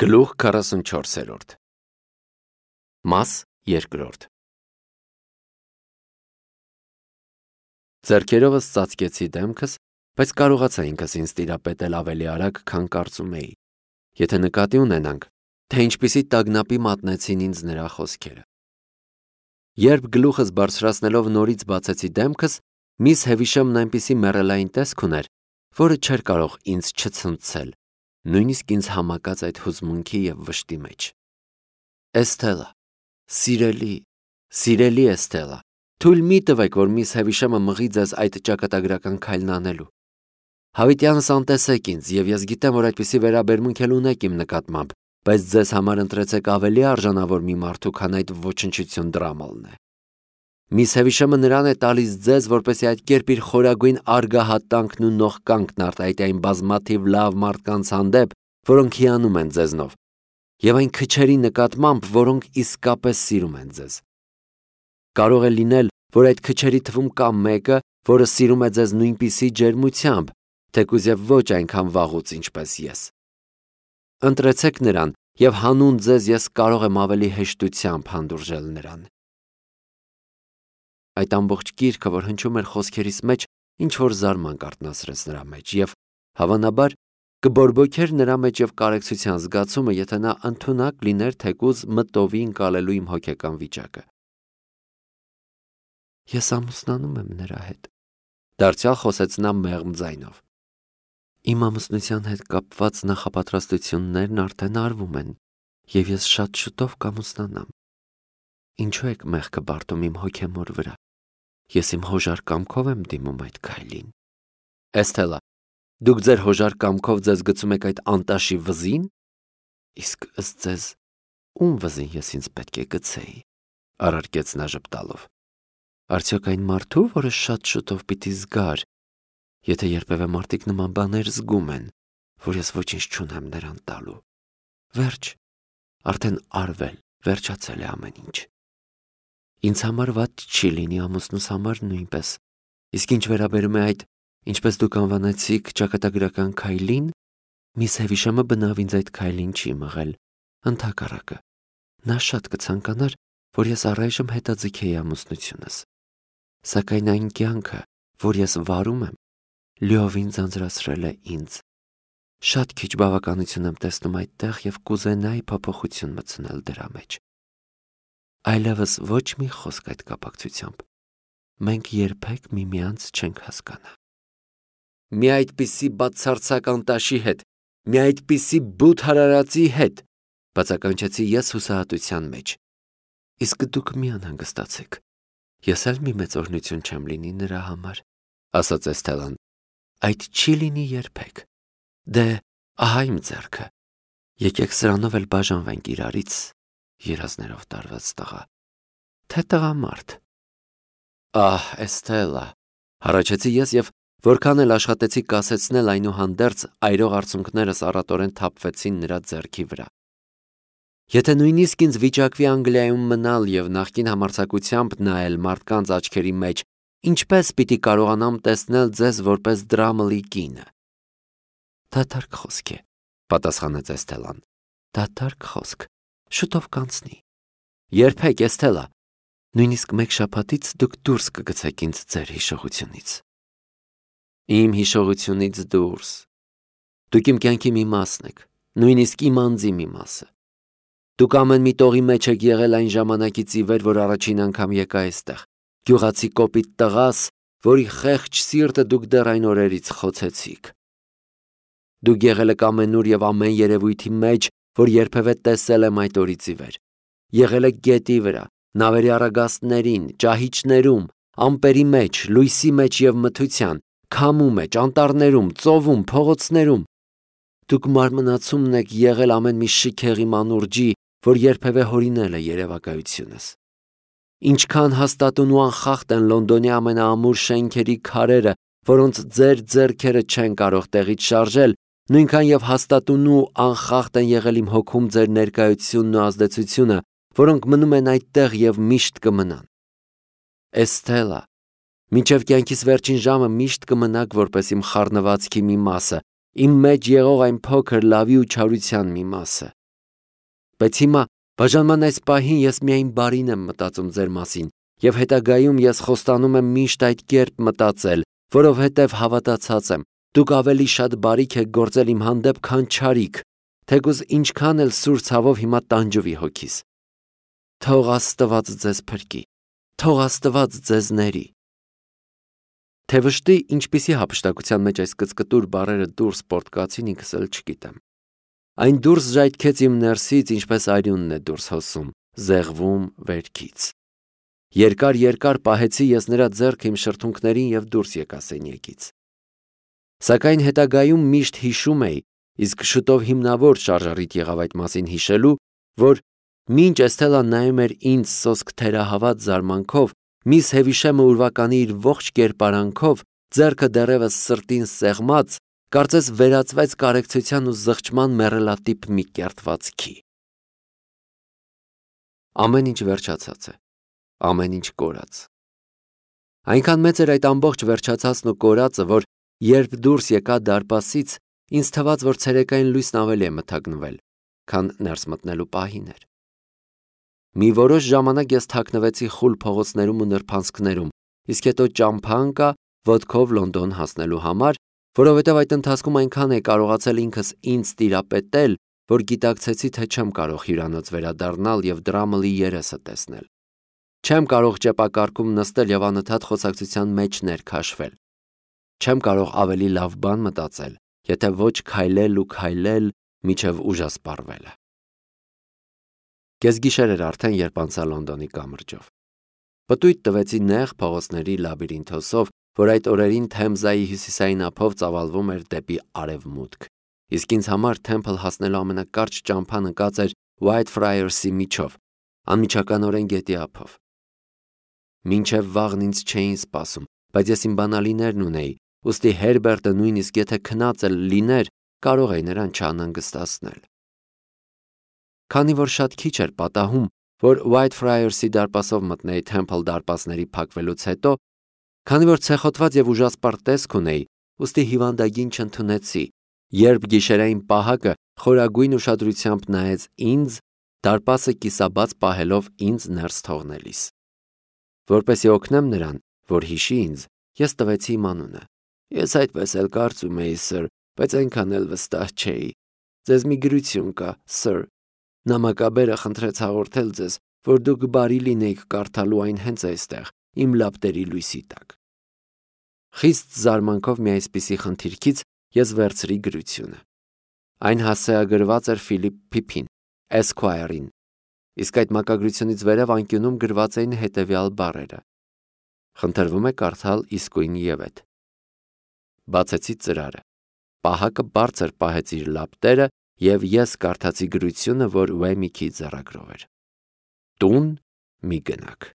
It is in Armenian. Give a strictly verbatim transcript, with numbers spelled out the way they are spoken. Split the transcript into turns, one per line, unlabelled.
Գլուխ քառասունչորսերորդ Մաս երկրորդ Ձեռքերովս ծածկեցի դեմքս, բայց կարողացա ինքս ինձ տիրապետել ավելի արագ, քան կարծում էի, եթե նկատի ունենանք, թե ինչպիսի տագնապի մատնեցին ինձ նրա խոսքերը։ Երբ գլուխս բարձրացնելով նորից բացեցի դեմքս, միս Հևիշամն այնպիսի մեռելային տեսք ուներ, որը չէր կարող ինձ չցնցել, նույնիսկ ինձ համակած այդ հուզմունքի և վշտի մեջ։ Էսթելա, սիրելի, սիրելի Էսթելա, թույլ մի տվեք, որ միս Հևիշամը մղի ձեզ այդ ճակատագրական քայլն անելու։ Հավիտյանս անտեսեք ինձ, և ես գիտեմ, որ այդպիսի վերաբերմունք էլ ունեք իմ նկատմամբ, բայց ձեզ համար ընտրեցեք ավելի արժանավոր մի մարդու, քան այդ ոչնչություն դրամալն է։ Միս Հևիշամը նրան է տալիս ձեզ, որպեսզի այդ կերպ իր խորագույն արգահատանքն ու նողկանքն արտահայտի այն բազմաթիվ լավ մարդկանց հանդեպ, որոնք հիանում են ձեզնով, և այն քչերի նկատմամբ, որոնք իսկապես սիրում են ձեզ։ Կարող է լինել, որ այդ քչերի թվում կա մեկը, որը սիրում է ձեզ նույնպիսի ջերմությամբ, թեկուզ և ոչ այնքան վաղուց, ինչպես ես։ Ընտրեցեք նրան, և հանուն ձեզ ես կարող եմ ավելի հեշտությամբ հանդուրժել նրան։ Այդ ամբողջ գիրքը, որ հնչում էր խոսքերիս մեջ, ինչ-որ զարմանք արթնացրեց նրա մեջ, և, հավանաբար, կբորբոքեր նրա մեջ և կարեկցության զգացումը, եթե նա ընդունակ լիներ թեկուզ մտովի ընկալելու իմ հոգեկան վիճակը։ Ես ամուսնանում եմ նրա հետ, դարձյալ խոսեց նա մեղմ ձայնով։ Իմ ամուսնության հետ կապված նախապատրաստություններն արդեն արվում են, և ես շատ շուտով կամուսնանամ։ Ինչու եք մեղքը բարդում իմ հոգեմոր վրա։ Ես իմ հոժար կամքով եմ դիմում այդ քայլին։ Էսթելա, դուք ձեր հոժար կամքով ձեզ գցում եք այդ անտաշի վզին։ Իսկ ըստ ձեզ, ում վզին ես ինձ պետք է գցեի, առարկեց նա ժպտալով։ Արդյոք այն մարդու, որը շատ շուտով պիտի զգար, եթե երբևէ մարդիկ նման բաներ զգում են, որ ես ոչինչ չունեմ նրան տալու։ Վերջ, արդեն արվել, վերջացել է ամեն ինչ։ Ինձ համար վատ չի լինի, ամուսնուս համար նույնպես, իսկ ինչ վերաբերում է այդ, ինչպես դուք անվանեցիք, ճակատագրական քայլին, միս Հևիշամը բնավ ինձ այդ քայլին չի մղել, ընդհակառակը, նա շատ կցանկանար, որ ես առայժմ հետաձգեի ամուսնությունս, սակայն այն կյանքը, որ ես վարում եմ, լիովին ձանձրացրել է ինձ։ Շատ քիչ բավականություն եմ տեսնում այդտեղ և կուզենայի փոփոխություն մտցնել դրա մեջ։ Այլևս ոչ մի խոսք այդ կապակցությամբ։ Մենք երբեք միմյանց չենք հասկանա։ Մի այդպիսի բացարձակ անտաշի հետ, մի այդպիսի բութ հարարածի հետ, բացականչեցի ես հուսահատության մեջ։ Իսկ դուք մի անհանգստացեք, ես էլ մի մեծ օրհնություն չեմ լինի նրա համար, ասաց Էսթելան, այդ չի լինի երբեք։ Դե, ահա իմ ձեռքը, եկեք սրանով էլ բաժանվենք իրարից, երազներով տարված տղա, թե տղամարդ։ Ահ, Էսթելա, հառաչեցի ես և որքան էլ աշխատեցի կասեցնել այնուհանդերձ այրող արցունքներս առատորեն թափվեցին նրա ձեռքի վրա։ Եթե նույնիսկ ինձ վիճակվի Անգլիայում մնալ և նախկին համարձակությամբ նայել մարդկանց աչքերի մեջ, ինչպես պիտի կարողանամ տեսնել ձեզ որպես դրամլի կինը։ Դատարկ խոսք է, պատասխանեց Էսթելան։ Դատարկ խոսք, շուտով կանցնի։ Երբեք, Էսթելա, նույնիսկ մեկ շաբաթից դուք դուրս կգցեք ինձ ձեր հիշողությունից։ Իմ հիշողությունից դուրս։ Դուք իմ կյանքի մի մասն եք, նույնիսկ իմ անձի մի մասը։ Դուք ամեն մի տողի մեջ եք եղել այն ժամանակից ի վեր, որ առաջին անգամ եկա այստեղ, գյուղացի կոպիտ տղաս, որի խեղճ սիրտը դուք դեռ այն օրերից խոցեցիք։ Դուք եղել եք ամենուր և ամեն երևույթի մեջ, որ երբևէ տեսել եմ այդ օրից ի վեր։ Եղել եք գետի վրա, նավերի առագաստներին, ճահիճներում, ամպերի մեջ, լույսի մեջ և մթության, քամու մեջ, անտառներում, ծովում, փողոցներում։ Դուք մարմնացումն եք եղել ամեն մի շքեղի մանուրջի, որ երբևէ հորինել է երևակայությունս։ Ինչքան հաստատուն ու անխախտ են Լոնդոնի ամենաամուր շենքերի քարերը, որոնց ձեր ձեռքերը չեն կարող տեղից շարժել, նույնքան և հաստատուն ու անխախտ են եղել իմ հոգում ձեր ներկայությունն ու ազդեցությունը, որոնք մնում են այդտեղ և միշտ կմնան։ Էսթելա, մինչև կյանքիս վերջին ժամը միշտ կմնաք որպես իմ խառնվածքի մի մասը, իմ մեջ եղող այն փոքր լավի ու չարության մի մասը։ Բայց հիմա բաժանման այս պահին ես միայն բարին եմ մտածում ձեր մասին, եւ հետագայում ես խոստանում եմ միշտ այդ կերպ մտածել, որովհետև հավատացած եմ, դուք ավելի շատ բարիք եք գործել իմ հանդեպ, քան չարիք, թեկուզ ինչքան էլ սուր ցավով հիմա տանջվի հոգիս։ Թող Աստված ձեզ փրկի, թող Աստված ձեզ ների։ Թե վշտի ինչպիսի հափշտակության մեջ այս կծկտուր բառերը դուրս պորտկացին ինքս էլ չգիտեմ։ Այն դուրս ժայթքեց իմ ներսից, ինչպես արյունն է դուրս հոսում, զեղվում վերքից։ Երկար-երկար պահեցի ես նրա ձեռքը իմ շրթունքներին եւ դուրս եկա սենյակից։ Սակայն հետագայում միշտ հիշում էի, իսկ շուտով հիմնավոր շարժառիթ եղավ այդ մասին հիշելու, որ մինչ Էսթելան նայում էր ինձ սոսկ թերահավատ զարմանքով, միս Հևիշեմը ուրվականի իր ողջ կերպարանքով, ձեռքը դեռևս սրտին սեղմած, կարծես վերածվեց կարեկցության ու զղջման մեռելատիպ մի կերտվածքի։ Ամեն ինչ վերջացած է, ամեն ինչ կորած։ Այնքան մեծ էր այդ ամբողջ վերջացածն ու կորածը, որ երբ դուրս եկա դարպասից, ինձ թվաց, որ ցերեկային լույսն ավելի է մթագնվել, քան ներս մտնելու պահին էր։ Մի որոշ ժամանակ ես թաքնվեցի խուլ փողոցներում ու նրբանցքներում, իսկ հետո ճամփա ընկա ոտքով Լոնդոն հասնելու համար, որովհետև այդ ընթացքում այնքան է կարողացել ինքս ինձ տիրապետել, որ գիտակցեցի, թե չեմ կարող հյուրանոց վերադառնալ եւ դրամլի երեսը տեսնել։ Չեմ կարող ճեպակարկում նստել եւ անընդհատ խոսակցության մեջ ներքաշվել։ Չեմ կարող ավելի լավ բան մտածել, եթե ոչ քայլել ու քայլել միջև ուժասպառվելը։ Կեսգիշեր էր արդեն, երբ անցա Լոնդոնի կամրջով։ Պտույտ տվեցի նեղ փողոցների լաբիրինթոսով, որ այդ օրերին Թեմզայի հյուսիսային ափով ծավալվում էր դեպի արևմուտք, իսկ ինձ համար Թեմփլ հասնելու ամենակարճ ճամփան ընկած էր Whitefriars-ի միջով, անմիջականորեն գետի ափով։ Մինչև վաղն ինձ չէին սպասում, բայց ես իմ բանալիներն ունեի, ուստի Հերբերտը նույնիսկ եթե քնած էլ լիներ, կարող էի նրան չանհանգստացնել։ Քանի որ շատ քիչ էր պատահում, որ Whitefriars-ի դարպասով մտնեի Թեմփլ դարպասների փակվելուց հետո, քանի որ ցեխոտված եւ ուժասպառ տեսք ունեի, ուստի հիվանդագին չընդունեցի, երբ գիշերային պահակը խորագույն ուշադրությամբ նայեց ինձ, դարպասը կիսաբաց պահելով ինձ ներս թողնելիս։ Որպեսզի օգնեմ նրան, որ հիշի ինձ, ես տվեցի իմ անունը։ Ես այդպես էլ կարծում էի, սըր, բայց այնքան էլ վստահ չէի։ Ձեզ մի գրություն կա, սըր։ Նամակաբերը խնդրեց հաղորդել ձեզ, որ դուք բարի լինեիք կարդալու այն հենց այստեղ, իմ լապտերի լույսի տակ։ Խիստ զարմանքով մի այսպիսի խնդիրքից ես վերցրի գրությունը։ Այն հասցեագրված էր Ֆիլիպ Փիփին, Esquire-ին, իսկ այդ մակագրությունից վերև անկյունում գրված էին հետևյալ բառերը. Խնդրվում է կարդալ իսկույն ևեթ։ Բացեցի ծրարը։ Պահակը բարձր պահեց իր լապտերը եւ ես կարդացի գրությունը, որ Ուեմիքի ձեռագրով էր։ Տուն մի գնաք։